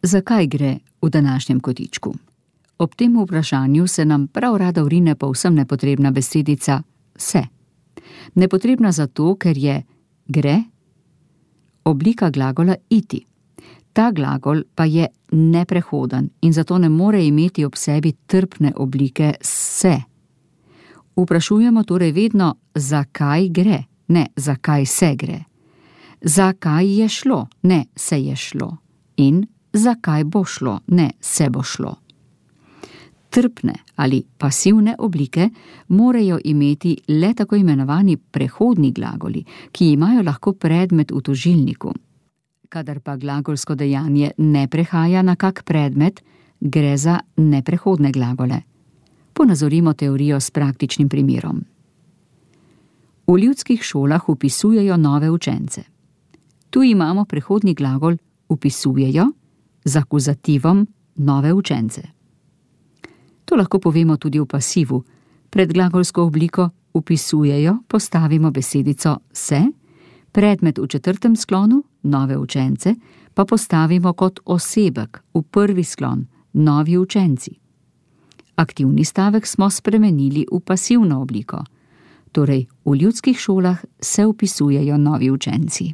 Zakaj gre v današnjem kotičku? Ob tem vprašanju se nam prav rada vrine povsem nepotrebna besedica se. Nepotrebna zato, ker je gre oblika glagola iti. Ta glagol pa je neprehoden in zato ne more imeti ob sebi trpne oblike se. Vprašujemo torej vedno, zakaj gre, ne zakaj se gre. Zakaj je šlo, ne se je šlo. In zakaj bo šlo, ne se bo šlo. Trpne ali pasivne oblike morajo imeti le tako imenovani prehodni glagoli, ki imajo lahko predmet v tožilniku. Kadar pa glagolsko dejanje ne prehaja na kak predmet, gre za neprehodne glagole. Ponazorimo teorijo s praktičnim primerom. V ljudskih šolah vpisujejo nove učence. Tu imamo prehodni glagol vpisujejo z akuzativom nove učence. To lahko povemo tudi v pasivu. Pred glagolsko obliko vpisujejo postavimo besedico se, predmet v četrtem sklonu, nove učence, pa postavimo kot osebek v prvi sklon, novi učenci. Aktivni stavek smo spremenili v pasivno obliko. Torej, v ljudskih šolah se vpisujejo novi učenci.